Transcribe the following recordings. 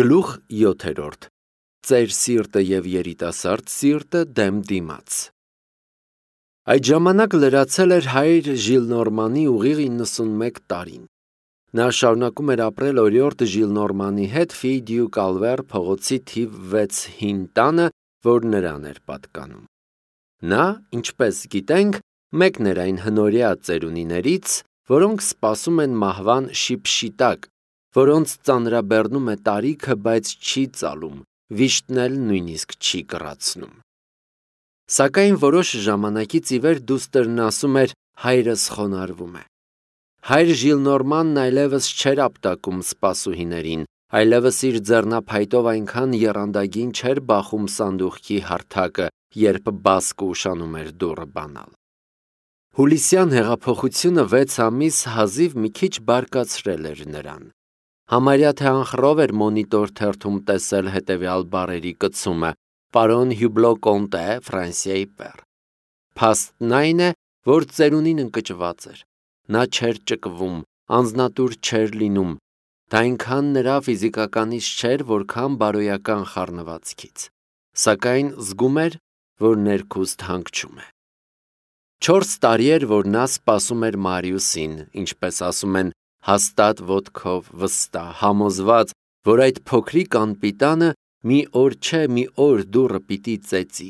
Գլուխ 7. Ծեր սիրտը և երիտասարդ սիրտը դեմ դիմաց։ Այդ ժամանակ լրացել էր հայր Ժիլնորմանի ուղիղ 91 տարին։ Նա շարունակում էր ապրել օրիորդ Ժիլնորմանի հետ Ֆիդյու Կալվեր փողոցի թիվ 6 հին տանը, որ նրան էր պատկանում։ Նա, ինչպես գիտենք, մեկն էր այն հնորյա ծերունիներից, որոնք սպասում են մահվան շիպշիտակ, որոնց ծանրաբեռնում է տարիքը, բայց չի ծալում, վիշտն էլ նույնիսկ չի կռացնում։ Սակայն որոշ ժամանակից ի վեր դուստրն ասում էր հայրս խոնարհվում է։ Հայր Ժիլնորմանն այլևս չէր ապտակում սպասուհիներին, այլևս իր ձեռնափայտով այնքան եռանդագին չէր բախում սանդուղքի հարթակը, երբ բասկը ուշանում էր դուռը բանալ։ Հուլիսյան հեղափոխությունը 6 ամիս հազիվ մի քիչ բարկացրել էր նրան։ Համարյա թե անխռով էր մոնիտոր թերթում տեսել հետևյալ բառերի կցումը. «Պարոն Հյուբլո Կոնտե, Ֆրանսիայի պեր»։ Փաստն այն է, որ ծերունին ընկճված էր։ Նա չէր ճկվում, անձնատուր չէր լինում, դա այնքան նրա ֆիզիկականից չէր, որքան բարոյական խառնվածքից, սակայն զգում էր, որ ներքուստ հանգչում է։ 4 տարի էր, որ նա սպասում էր Մարիուսին, ինչպես ասում են, հաստատ ոտքով վստահ, համոզված, որ այդ փոքրիկ անպիտանը մի օր չէ, մի օր դուռը պիտի ծեծի։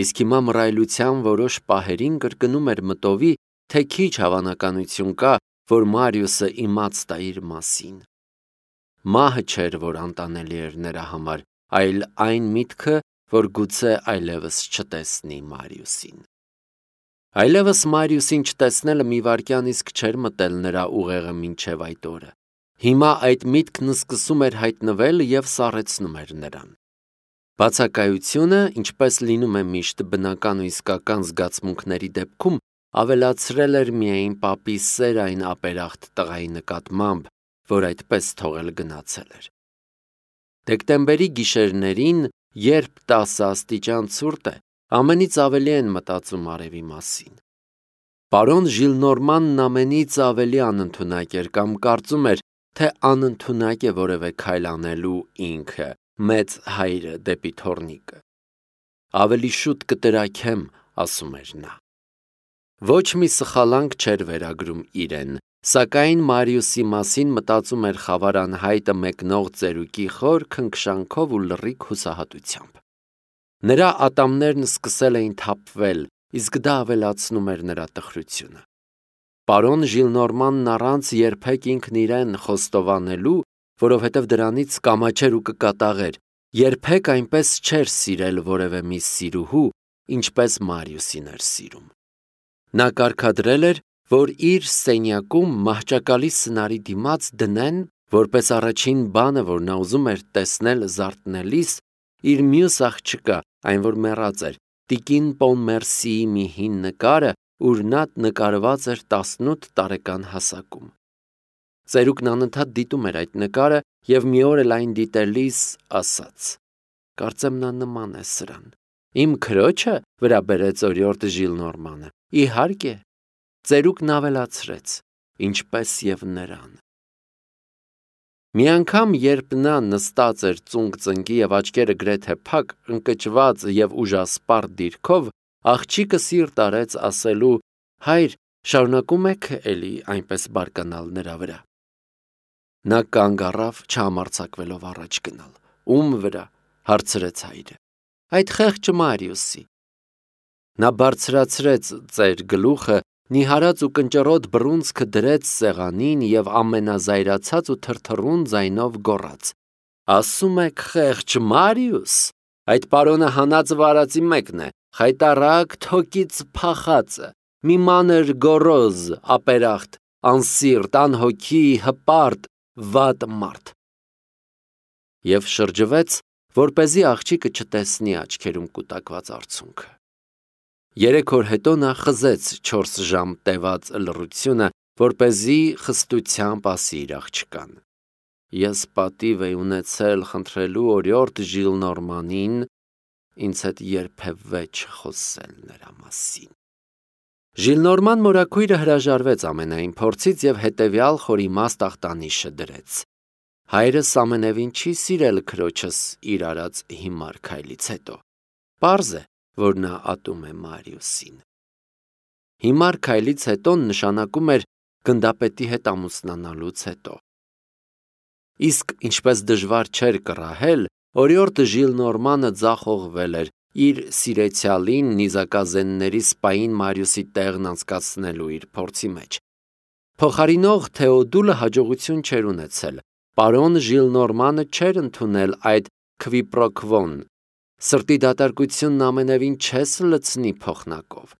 Իսկ հիմա մռայլության որոշ պահերին կրկնում էր մտովի, թե քիչ հավանականություն կա, որ Մարիուսը իմաց տա իր մասին։ Մահը չէր, որ անտանելի էր նրա համար, այլ այն միտքը, որ գուցե այլևս չտեսնի Մարիուսին։ Այլևս Մարիուսին չտեսնելը մի վայրկյան իսկ չէր մտել նրա ուղեղը մինչև այդ օրը։ Հիմա այդ միտքն սկսում էր հայտնվել և սառեցնում էր նրան։ Բացակայությունը, ինչպես լինում է միշտ բնական ու իսկական զգացմունքների դեպքում, ավելացրել էր միայն պապի սերը այն ապերախտ տղայի նկատմամբ, որ այդպես թողել գնացել էր։ Դեկտեմբերի գիշերներին, երբ 10 աստիճան ցուրտ է, ամենից ավելի են մտածում արևի մասին։ Պարոն Ժիլնորմանն ամենից ավելի անընդունակ էր կամ կարծում էր, թե անընդունակ է որևէ քայլ անելու ինքը, մեծ հայրը դեպի թոռնիկը։ Ավելի շուտ կտրաքեմ, ասում էր նա։ Ոչ մի սխալանք չէր վերագրում իրեն, սակայն Մարիուսի մասին մտածում էր խավար անհայտը մեկնող ծերուկի խոր քնքշանքով ու լռիկ հուսահատությամբ։ Նրա ատամներն սկսել էին թափվել, իսկ դա ավելացնում էր նրա տխրությունը։ Պարոն Ժիլնորմանն առանց երբեք ինքն իրեն խոստովանելու, որովհետև դրանից կամաչեր ու կկատաղեր, երբեք այնպես չէր սիրել որևէ մի սիրուհու, ինչպես Մարիուսին էր սիրում։ Նա կարգադրել էր, որ իր սենյակում մահճակալի սնարի դիմաց դնեն, որպես առաջին բանը, որ նա ուզում էր տեսնել զարթնելիս, իր մյուս աղջկա, այն որ մեռած էր, տիկին Պոնմերսիի մի հին նկարը, ուր նա նկարված էր 18 տարեկան հասակում։ Ծերուկն անընդհատ դիտում էր այդ նկարը և մի օր էլ այն դիտելիս ասաց. «Կարծեմ նա նման է սրան»։ Իմ քրոջը, վրա բերեց օրիորդ Ժիլնորմանը։ Իհարկե, ծերուկն ավելացրեց, ինչպես և նրան։ Մի անգամ, երբ նա նստած էր ծունկ-ծնկի և աչքերը գրեթե փակ, ընկճված և ուժասպառ դիրքով, աղջիկը սիրտ արեց ասելու. «Հայր, շարունակում եք էլի այնպես բարկանալ նրա վրա»։ Նա կանգ առավ, չհամարձակվելով առաջ գնալ։ Ում վրա, հարցրեց հայրը։ Այդ խեղճ Մարիուսի։ Նա բարձրացրեց ծեր գլուխը, նիհարած ու կնճռոտ բռունցքը դրեց սեղանին և ամենազայրացած ու թրթռուն ձայնով գոռաց. Ասում եք խեղճ Մարիուս, այդ պարոնը հանած վարածի մեկն է, խայտառակ թոկից փախածը, մի մանր գոռոզ, ապերախտ, անսիրտ, անհոգի, հպարտ, վատ մարդ։ Եվ շրջվեց, որպեսզի աղջիկը չտեսնի աչքերում կուտակված արցունքը։ 3 օր հետո նա խզեց 4 ժամ տևած լռությունը, որպեսզի խստությամբ ասի իր աղջկան. Ես պատիվ էի ունեցել խնդրելու օրիորդ Ժիլնորմանին ինձ հետ երբևէ չխոսել նրա մասին։ Ժիլնորման մորաքույրը հրաժարվեց ամենայն փորձից և հետևյալ խորիմաստ ախտանիշը դրեց. Հայրս ամենևին չի սիրել քրոջս իր արած հիմար քայլից հետո։ Պարզ է, որ նա ատում է Մարիուսին։ Հիմար քայլից հետո նշանակում էր գնդապետի հետ ամուսնանալուց հետո։ Իսկ ինչպես դժվար չէր կռահել, օրիորդ Ժիլնորմանը ձախողվել էր իր սիրեցյալին նիզակազենների սպային Մարիուսի տեղն անցկացնելու իր փորձի մեջ։ Փոխարինող Թեոդուլը հաջողություն չէր ունեցել։ Պարոն Ժիլնորմանը չէր ընդունել այդ քվիպրոկվոն։ Սրտի դատարկությունն ամենևին չես լցնի փոխնակով։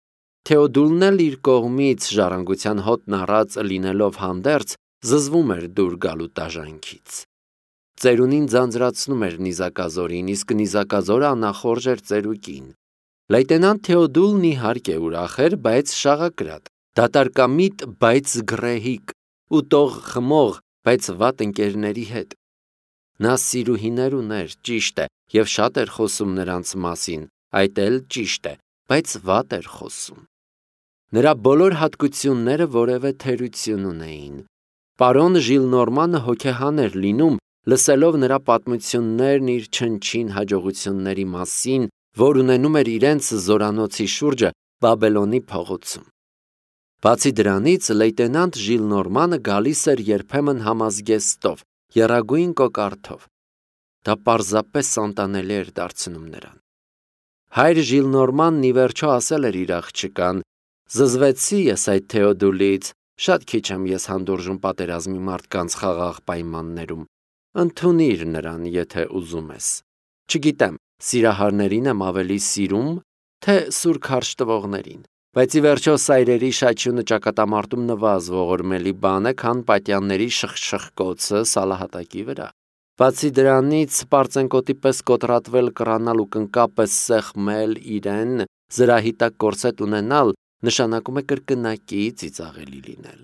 Թեոդուլն էլ իր կողմից ժառանգության հոտն առած լինելով հանդերձ զզվում էր դուր գալու տաժանքից։ Ծերունին ձանձրացնում էր նիզակազորին, իսկ նիզակազորը անախորժ էր ծերուկին։ Լեյտենանտ Թեոդուլն իհարկե ուրախ էր, բայց շաղակրատ, դատարկամիտ, բայց գռեհիկ, ուտող խմող, բայց վատ ընկերների հետ։ Նա սիրուհիներ ուներ, ճիշտ է, եւ շատ էր խոսում նրանց մասին, այդ էլ ճիշտ է, բայց վատ էր խոսում։ Նրա բոլոր հատկությունները որևէ թերություն ունեին։ Պարոն Ժիլնորմանը հոգեհան էր լինում, լսելով նրա պատմություններն իր չնչին հաջողությունների մասին, որ ունենում էր իրենց զորանոցի շուրջը Բաբելոնի փողոցում։ Բացի դրանից, լեյտենանտ Ժիլնորմանը գալիս էր երբեմն համազգեստով, եռագույն կոկարդով։ Դա պարզապես անտանելի էր դարձնում նրան։ Հայր Ժիլնորմանն ի վերջո ասել էր իր աղջկան. «Զզվեցի ես այդ Թեոդուլից, շատ քիչ եմ ես հանդուրժում պատերազմի մարդկանց խաղաղ պայմաններում։ Ընդունիր նրան, եթե ուզում ես։ Չգիտեմ, սիրահարներին եմ ավելի սիրում, թե սուր քարշ տվողներին, բայց ի վերջո սայրերի շաչյունը ճակատամարտում նվազ ողորմելի բան է, քան պատյանների շխշխկոցը սալահատակի վրա։ Բացի դրանից, պարծենկոտի պես կոտրատվել, կռանալ ու կնկապես սեղմել իրեն, զրահի տակ կորսետ ունենալ, նշանակում է կրկնակի ծիծաղելի լինել։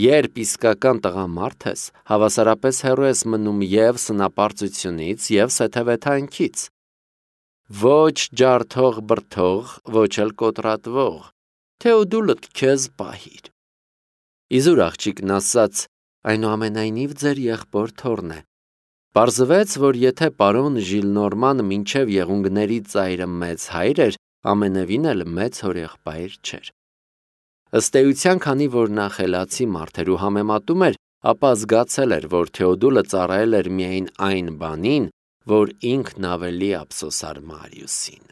Երբ իսկական տղամարդ ես, հավասարապես հեռու ես մնում և սնապարծությունից, և սեթևեթանքից։ Ոչ ջարդող բրդող, ոչ էլ կոտրատվող, Թեոդուլդ քեզ պահիր։ Իզուր աղջիկն ասաց, այնուամենայնիվ ձեր եղբոր թոռն է։ Պարզվեց, որ եթե պարոն Ժիլնորմանը մինչև եղունգների ծայրը մեծ հայր էր, ամենևին էլ մեծ հորեղբայր չէր։ Ըստ էության, քանի որ նա խելացի մարդ էր ու համեմատում էր, ապա զգացել էր, որ Թեոդուլը ծառայել էր միայն այն բանին, որ ինքն ավելի ափսոսար Մարիուսին։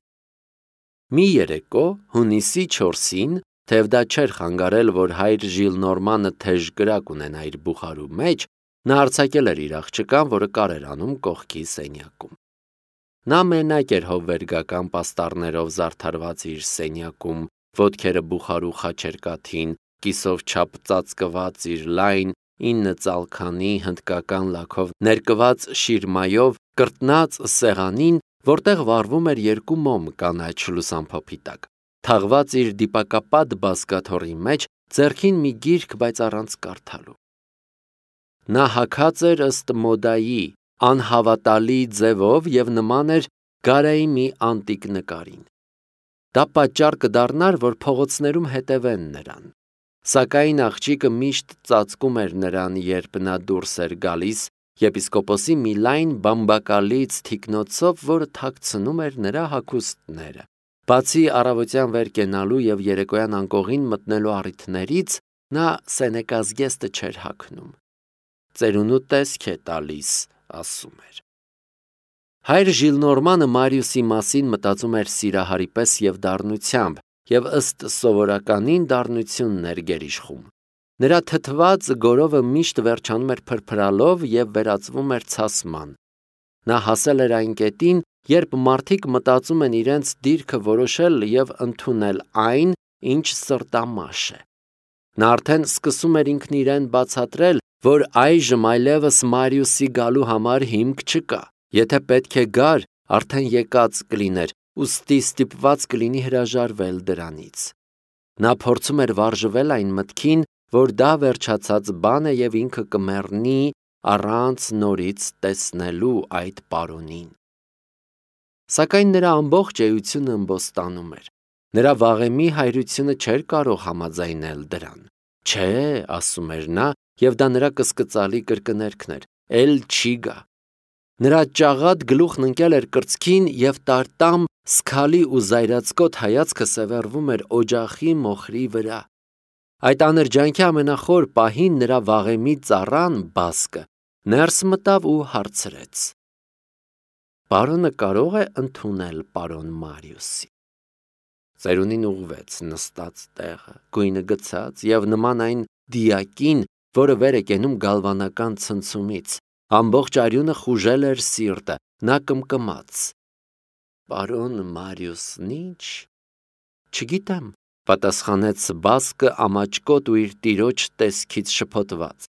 Մի երեկո, հունիսի 4-ին, թեև դա չէր խանգարել, որ հայր Ժիլնորմանը թեժ կրակ ունենա իր բուխարու մեջ, նա արձակել էր իր աղջկան, որը կար էր անում կողքի սենյակում։ Նա մենակ էր հովվերգական պաստառներով զարդարված իր սենյակում, ոտքերը բուխարու խաչերկաթին, կիսով չափ ծածկված իր լայն 9 ծալքանի հնդկական լաքով ներկված շիրմայով կրտնած սեղանին, որտեղ վառվում էր 2 մոմ կանաչ լուսամփոփի տակ, թաղված իր դիպակապատ բազկաթոռի մեջ, ձեռքին մի գիրք, բայց առանց կարդալու։ Նա հագած էր ըստ մոդայի, անհավատալի ձևով և նման էր Գարայի մի անտիկ նկարին։ Դա պատճառ կդառնար, որ փողոցներում հետևեն նրան։ Սակայն աղջիկը միշտ ծածկում էր նրան, երբ նա դուրս էր գալիս, եպիսկոպոսի մի լայն բամբակալից թիկնոցով, որը թաքցնում էր նրա հագուստները։ Բացի առավոտյան վեր կենալու և երեկոյան անկողին մտնելու առիթներից, նա սենեկազգեստը չէր հագնում։ Ծերունու տեսք է տալիս, ասում էր։ Հայր Ժիլնորմանը Մարիուսի մասին մտածում էր սիրահարի պես և դառնությամբ, և ըստ սովորականին դառնությունն էր գերիշխում։ Նրա թթված գորովը միշտ վերջանում էր փրփրալով և վերածվում էր ցասման։ Նա հասել էր այն կետին, երբ մարդիկ մտածում են իրենց դիրքը որոշել և ընդունել այն, ինչ սրտամաշ է։ Նա արդեն սկսում էր ինքն իրեն բացատրել, որ այժմ այլևս Մարիուսի գալու համար հիմք չկա։ Եթե պետք է գար, արդեն եկած կլիներ, ուստի ստիպված կլինի հրաժարվել դրանից։ Նա փորձում էր վարժվել այն մտքին, որ դա վերջացած բան է և ինքը կմեռնի առանց նորից տեսնելու այդ պարոնին։ Սակայն նրա ամբողջ էությունը ըմբոստանում էր։ Նրա վաղեմի հայրությունը չէր կարող համաձայնել դրան։ Չէ, ասում էր նա, և դա նրա կսկծալի կրկներգն էր, էլ չի գա։ Նրա ճաղատ գլուխն ընկել էր կրծքին և տարտամ սքալի ու զայրացկոտ հայացքը սևեռվում էր օջախի մոխրի վրա։ Այդ աներջանքի ամենախոր պահին նրա վաղեմի ծառան Բասկը ներս մտավ ու հարցրեց. «Պարոնը կարող է ընդունել պարոն Մարիուսի»։ Ծերունին ուղղվեց նստած տեղը, գույնը գցած և նման այն դիակին, որը վեր է կենում գալվանական ցնցումից, ամբողջ արյունը խուժել էր սիրտը, նա կմկմաց. «Պարոն Մարիուսն ի՞նչ»։ «Չգիտեմ», պատասխանեց Բասկը ամաչկոտ ու իր տիրոջ տեսքից շփոթված։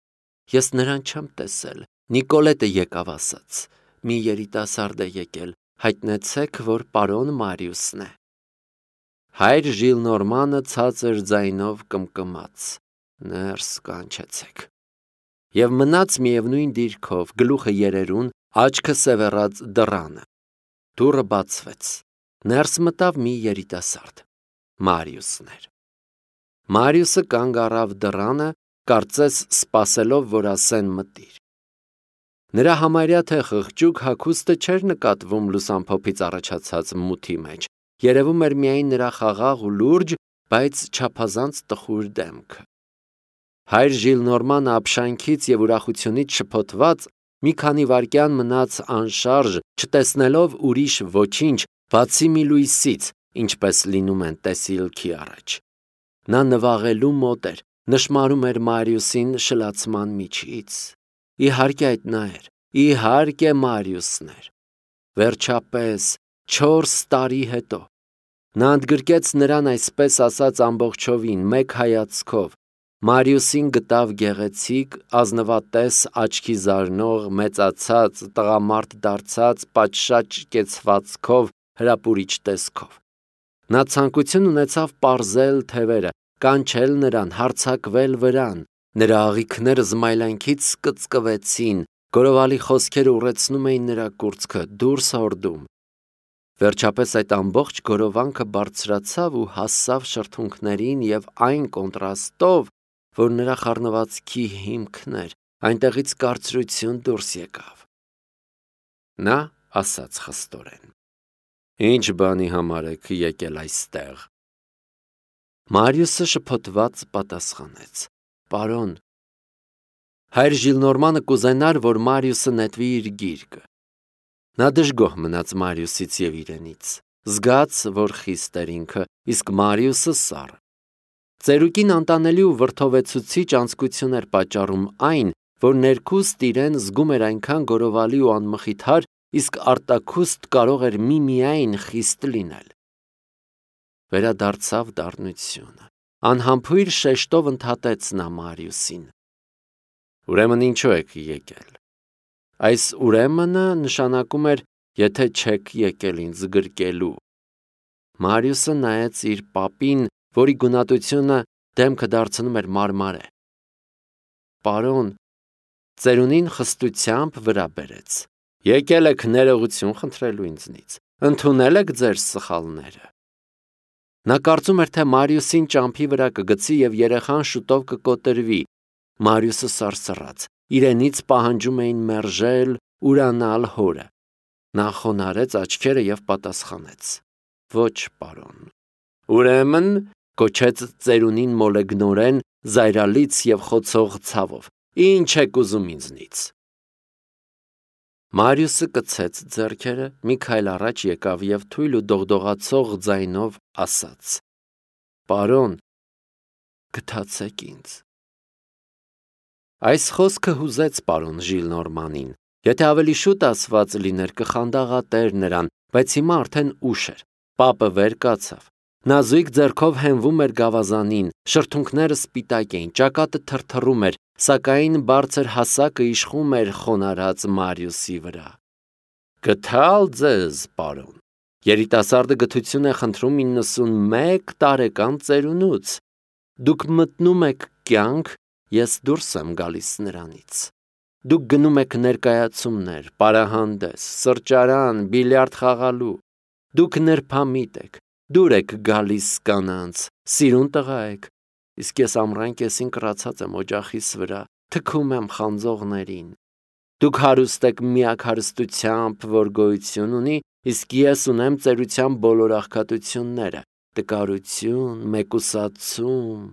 «Ես նրան չեմ տեսել, Նիկոլետը եկավ ասաց, մի երիտասարդ է եկել, հայտնեցեք, որ պարոն Մարիուսն է»։ Հայր Ժիլնորմանը ցածր ձայնով կմկմաց. «Ներս կանչեցեք»։ Եվ մնաց միևնույն դիրքով, գլուխը երերուն, աչքը սևեռած դռանը։ Դուռը բացվեց։ Ներս մտավ մի երիտասարդ։ Մարիուսն էր։ Մարիուսը կանգ առավ դռանը, կարծես սպասելով, որ ասեն մտիր։ Նրա համարյա թե խղճուկ հագուստը չէր նկատվում լուսամփոփից առաջացած մութի մեջ, երևում էր միայն նրա խաղաղ ու լուրջ, բայց չափազանց տխուր դեմքը։ Հայր Ժիլնորմանը ապշանքից և ուրախությունից շփոթված մի քանի վայրկյան մնաց անշարժ, չտեսնելով ուրիշ ոչինչ, բացի մի լույսից, ինչպես լինում են տեսիլքի առաջ։ Նա նվաղելու մոտ էր, նշմարում էր Մարիուսին շլացման միջից։ Իհարկե այդ նա էր, իհարկե Մարիուսն էր։ Վերջապես 4 տարի հետո նա ընդգրկեց նրան այսպես ասած ամբողջովին, մեկ հայացքով։ Մարիուսին գտավ գեղեցիկ, ազնվատես, աչքի զարնող, մեծացած, տղամարդ դարձած, պատշաճ կեցվածքով, հրապուրիչ տեսքով։ Նա ցանկություն ունեցավ պարզել թևերը, կանչել նրան, հարձակվել վրան։ Նրա աղիքները զմայլանքից կծկվեցին, գորովալի խոսքերը ուռեցնում էին նրա կուրծքը, դուրս հորդում։ Վերջապես այդ ամբողջ գորովանքը բարձրացավ ու հասավ շրթունքներին և այն կոնտրաստով, որ նրա խառնվածքի հիմքն էր, այնտեղից կարծրություն դուրս եկավ։ Նա ասաց խստորեն. «Ինչ բանի համար եք եկել այստեղ»։ Մարիուսը շփոթված պատասխանեց. «Պարոն»։ Հայր Ժիլնորմանը կուզենար, որ Մարիուսը նետվի իր գիրկը։ Նա դժգոհ մնաց Մարիուսից և իրենից, զգաց, որ խիստ էր ինքը, իսկ Մարիուսը սառը։ Ծերուկին անտանելի ու վրդովեցուցիչ անձկություն էր պատճառում այն, որ ներքուստ իրեն զգում էր այնքան գորովալի ու անմխիթար, իսկ արտաքուստ կարող էր միմիայն խիստ լինել։ Վերադարձավ դառնությունը։ Անհամբույր շեշտով ընդհատեց նա Մարիուսին. «Ուրեմն ինչու եք եկել»։ Այս ուրեմնը նշանակում էր, եթե չեք եկել ինձ գրկելու։ Մարիուսը նայեց իր պապին, որի գունատությունը դեմքը դարձնում էր մարմարե։ «Պարոն», ծերունին խստությամբ վրա բերեց, «եկել եք ներողություն խնդրելու ինձնից, ընդունել եք ձեր սխալները»։ Նա կարծում էր, թե Մարիուսին ճամփի վրա կգցի և երեխան շուտով կկոտրվի։ Մարիուսը սարսռաց, իրենից պահանջում էին մերժել, ուրանալ հորը։ Նա խոնարհեց աչքերը և պատասխանեց. «Ոչ, պարոն»։ «Ուրեմն», կոչեց ծերունին մոլեգնորեն, զայրալից և խոցող ցավով, «ինչ եք ուզում ինձնից»։ Մարիուսը կցեց ձեռքերը, մի քայլ առաջ եկավ և թույլ ու դողդողացող ձայնով ասաց. «Պարոն, գթացեք ինձ»։ Այս խոսքը հուզեց պարոն Ժիլնորմանին։ Եթե ավելի շուտ ասված լիներ, կխանդաղատեր նրան, բայց հիմա արդեն ուշ էր։ Պապը վեր կացավ։ Նա զույգ ձեռքով հենվում էր գավազանին, շրթունքները սպիտակ էին, ճակատը թրթռում էր, սակայն բարձր հասակը իշխում էր խոնարհած Մարիուսի վրա։ «Գթալ ձեզ, պարոն»։ Երիտասարդը գթություն է խնդրում 91 տարեկան ծերունուց։ Դուք մտնում եք կյանք, ես դուրս եմ գալիս նրանից։ Դուք գնում եք ներկայացումներ, պարահանդես, սրճարան, բիլիարդ խաղալու։ Դուք նրբամիտ եք, դուր եք գալիս կանանց, սիրուն տղա եք, իսկ ես ամռան կեսին կռացած եմ օջախիս վրա, թքում եմ խանձողներին։ Դուք հարուստ եք միակ հարստությամբ, որ գոյություն ունի, իսկ ես ունեմ ծերության բոլոր աղքատությունները, տկարություն, մեկուսացում։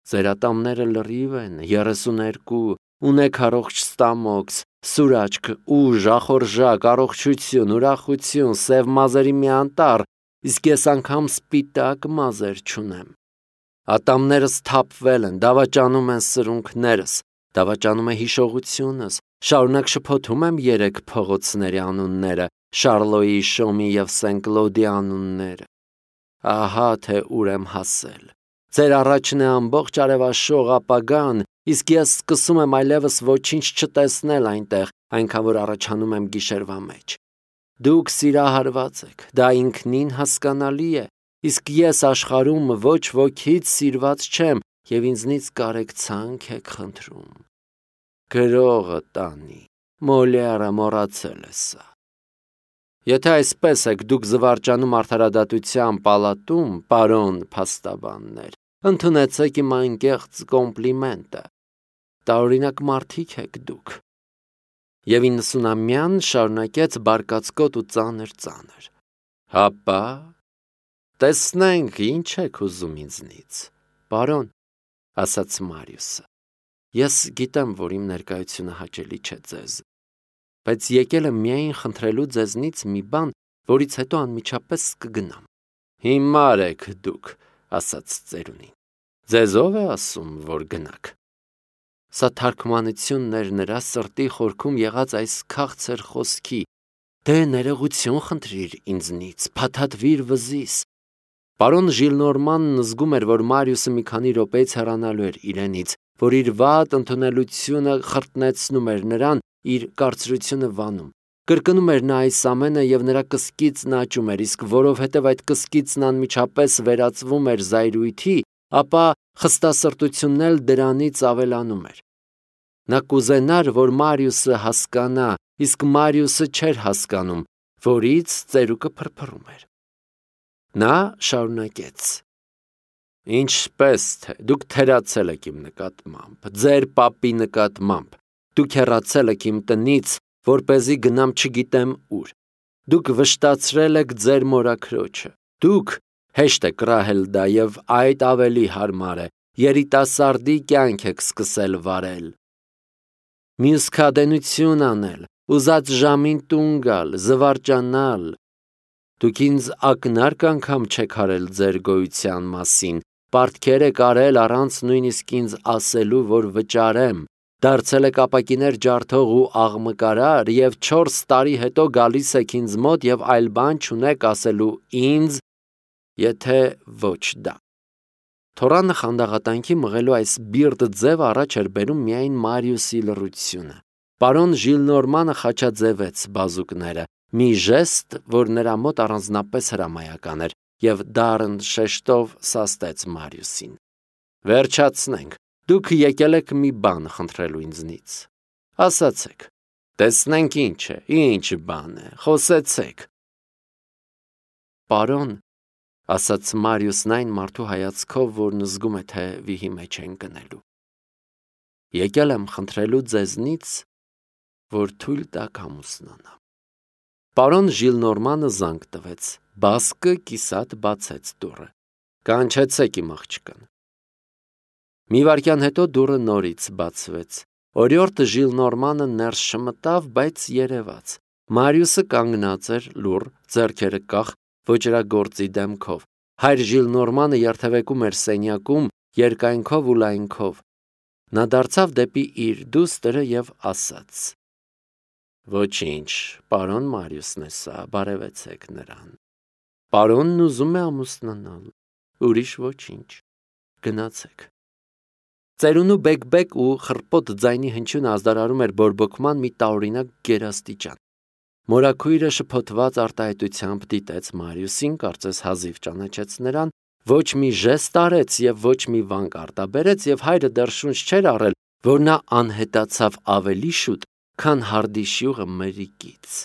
Ձեր ատամները լրիվ են, 32, ունեք առողջ ստամոքս, սուր աչք, ուժ, ախորժակ, առողջություն, ուրախություն, սև մազերի մի անտառ, իսկ ես անգամ սպիտակ մազեր չունեմ։ Ատամներս թափվել են, դավաճանում են սրունքներս, դավաճանում է հիշողությունս, շարունակ շփոթում եմ 3 փողոցների անունները, Շարլոյի, Շոմի և Սեն-Կլոդի անունները։ Ահա թե ուր եմ հասել։ Ձեր առաջն է ամբողջ արևաշող ապագան, իսկ ես սկսում եմ այլևս ոչինչ չտեսնել այնտեղ, այնքան որ առաջանում եմ գիշերվա մեջ։ Դուք սիրահարված եք, դա ինքնին հասկանալի է, իսկ ես աշխարհում ոչ ոքից սիրված չեմ և ինձնից կարեկցանք եք խնդրում։ Գրողը տանի, Մոլիերը մոռացել է սա։ Եթե այսպես եք դուք զվարճանում արդարադատության պալատում, պարոն փաստաբաններ, ընդունեցեք իմ անկեղծ կոմպլիմենտը։ Տարօրինակ մարդիկ եք դուք։ Եվ 90-ամյան շարունակեց բարկացկոտ ու ծանր։ Հապա, տեսնենք ինչ եք ուզում ինձնից, պարոն, ասաց Մարիուսը։ Ես գիտեմ, որ իմ ներկայությունը հաճելի չէ ձեզ, բայց եկել եմ միայն խնդրելու ձեզնից մի բան, որից հետո անմիջապես կգնամ։ Հիմար եք դուք, ասաց ծերունին։ Ձեզ ով է ասում, որ գնաք։ Սա թարգմանությունն էր նրա սրտի խորքում եղած այս քաղցր խոսքի։ Դե ներողություն խնդրիր ինձնից, փաթաթվիր վզիս։ Պարոն Ժիլնորմանն զգում էր, որ Մարիուսը մի քանի րոպեից հեռանալու էր իրենից, որ իր վատ ընդունելությունը խրտնեցնում էր նրան, իր կարծրությունը վանում։ Կրկնում էր նա այս ամենը և նրա կսկիծն աճում էր, իսկ որովհետև այդ կսկիծն անմիջապես վերածվում էր զայրույթի, ապա խստասրտությունն էլ դրանից ավելանում էր։ Նա կուզենար, որ Մարիուսը հասկանա, իսկ Մարիուսը չէր հասկանում, որից ծերուկը փրփրում էր։ Նա շարունակեց. Ինչպես թե դուք թերացել եք իմ նկատմամբ, ձեր պապի նկատմամբ, դուք հեռացել եք իմ տնից, որպեսզի գնամ չգիտեմ ուր, դուք վշտացրել եք ձեր մորաքրոջը, դուք, հեշտ է կռահել դա և այդ ավելի հարմար է, երիտասարդի կյանք եք սկսել վարել, մյուսքադենություն անել, ուզած ժամին տուն գալ, զվարճանալ, դուք ինձ ակնարկ անգամ չեք արել ձեր գոյության մասին, պարտքեր եք արել առանց նույնիսկ ինձ ասելու, որ վճարեմ, դարձել եք ապակիներ ջարդող ու աղմկարար և 4 տարի հետո գալիս եք ինձ մոտ և այլ բան չունեք ասելու ինձ, եթե ոչ դա։ Թորանը խանդաղատանքի մղելու այս բիրտ ձևը առաջ էր բերում միայն Մարիուսի լռությունը։ Պարոն Ժիլնորմանը խաչաձևեց բազուկները, մի ժեստ, որ նրա մոտ առանձնապես հրամայական էր, և դառն շեշտով սաստեց Մարիուսին։ Վերջացնենք, դուք եկել եք մի բան խնդրելու ինձնից։ Ասացեք, տեսնենք ինչ է, ինչ բան է, խոսեցեք։ Պարոն, ասաց Մարիուսն այն մարդու հայացքով, որն զգում է, թե վիհի մեջ են գնելու։ Եկել եմ խնդրելու ձեզնից, որ թույլ տաք ամուսնանամ։ Պարոն Ժիլնորմանը զանգ տվեց, բասկը կիսատ բացեց դուռը։ Կանչեցեք իմ աղջկան։ Մի վայրկյան հետո դուռը նորից բացվեց։ Օրիորդը Ժիլնորմանը ներս չմտավ, բայց երևաց։ Մարիուսը կանգնած էր լուռ, ձեռքերը կախ, ոճրագործի դեմքով։ Հայր Ժիլնորմանը երթևեկում էր սենյակում, երկայնքով ու լայնքով։ Նա դարձավ դեպի իր դուստրը և ասաց. Ոչինչ, պարոն Մարիուսն է սա, բարևեցեք նրան։ Պարոնն ուզում է ամուսնանալ, ուրիշ ոչինչ, գնացեք։ Ծերունու բեկ-բեկ ու խռպոտ ձայնի հնչյունը ազդարարում էր բորբոքման մի տարօրինակ գերաստիճան։ Մորաքույրը շփոթված արտահայտությամբ դիտեց Մարիուսին, կարծես հազիվ ճանաչեց նրան, ոչ մի ժեստ արեց և ոչ մի վանք արտաբերեց, և հայրը դեռ շունչ չէր առել, որ նա անհետացավ ավելի շուտ, քան հարդի շյուղը մրրիկից։